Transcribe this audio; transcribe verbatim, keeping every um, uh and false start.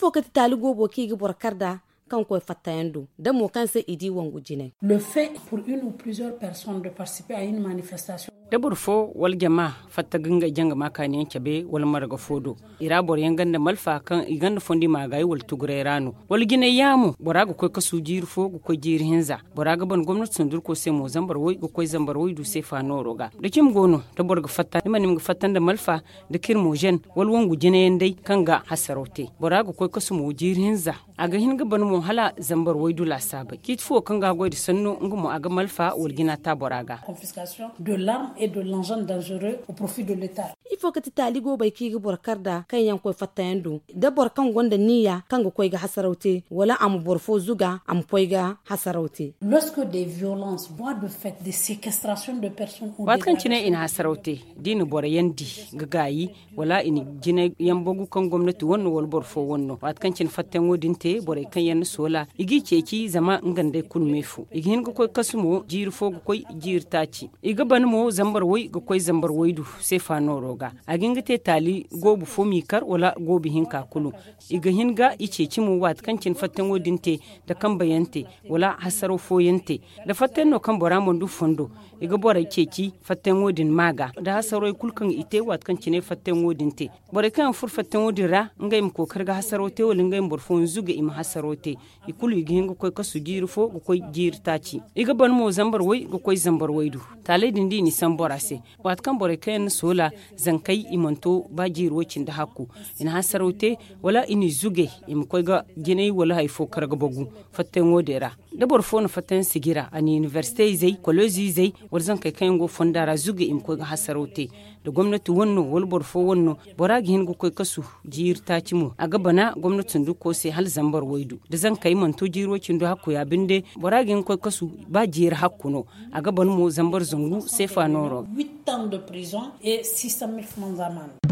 Ifo kati taali goobo kaŋ i ga boro kar nd'a kaŋ koy fattayaŋ do da mo kaŋ se i di wangu jinay. Le fait pour une ou plusieurs personnes de participer à une manifestation. Da boro fo wala jama fatta ga ngey janga maakaaniyaŋ cabe wala marga fo do, i ra boro yaŋ gonda malfa kaŋ i gonda fondi maagaayi wala tuguray ra no, wala jinay yaamo bora ga koy kasu jiiri fo ga koy jiiri hinza. Bora ga ban gomnati sundurko se mo zambar way ga koy zambar way du seefa nooro ga. Da cimi go no da boro ga fatta ni ma ni ma ga fatta nda malfa da kirmo zen wala wangu jinayaŋ day kaŋ ga hasaraw te, bora ga koy kasu mo jiiri hinza. A ga hin ga ban mo hala zambar waydu laasaabey ciiti fo kaŋ ga a goy nda sanno nga mo a ga malfa wala jina ta bora ga. De l'arme et de l'engin dangereux au profit de l'état. Ifo kati taali goobey kaŋ i ga boro kar nd'a kaŋ yaŋ koy fattayaŋ do da boro kaŋ gonda niya kaŋ ga koy ga hasaraw te wala a ma boro fo zuga a ma koy ga hasaraw te. Lorsque des violences voies de fait des séquestrations de personnes ou waati kaŋ cine i na hasaraw te da i na boro yaŋ di ga gaayi wala i na jinayaŋ bagu kaŋ gomnati wane no wala boro fo wane no waati kaŋ cine fattayaŋo din te borey kaŋ yaŋ na soola i g'i ceeci zama nga nd'ey kulu me fo i ga hin ga koy kasu mo jiiri fo ga koy jiiri taaci. I ga ban mo zambar way ga koy zambar waydu seefa nooro ga. A ga hin ga te taali goobu fo m'i kar wala goobu hinka kulu. I ga hin ga i ceeci mo waati kaŋ cine fattayaŋo din te da kambe yaŋ te wala hasaraw fo yaŋ te da fattayaŋ no kaŋ bora mana du fondo. I ga borey ceeci fattayaŋo din ma ga da hasarey kulu kaŋ i te waati kaŋ cine fattayaŋo din te. Borey kaŋ yaŋ furo fattayaŋo din ra ngey ma kookari ga hasaraw te wala ngey ma boro fooyaŋ zuga i ma hasaraw te. I kulu i ga hin ga koy kasu jiiri fo ga koy jiiri taaci. I ga ban mo zambar way ga koy zambar waydu. Taaley din da i n'i sambu bora se waati kaŋ borey kaŋ yaŋ na soola zankey i mana to ba jiiri way cindi hakku. I na hasaraw te wala i n'i zuge i ma koy ga jinay wala hari fo kar ga bagu fattayaŋo din ra. Da boro fo na fattayaŋ sijira a na inibersite izey koleezi izey wala zankey kaŋ yaŋ go fonda ra zuge i ma koy ga hasaraw te. Da gomnati wane no wala boro fo wane no bora ga hin ga koy kasu jiiri taaci mo a ga bana gomnati sunduko se hala zambar waydu da zankey mana to jiiri way cindi hakku ya binde. Bora ga hin ga koy kasu ba jiiri hakku no. A ga ban mo zambar zangu seefa nooro. Huit ans de prison et six cent mille francs amende.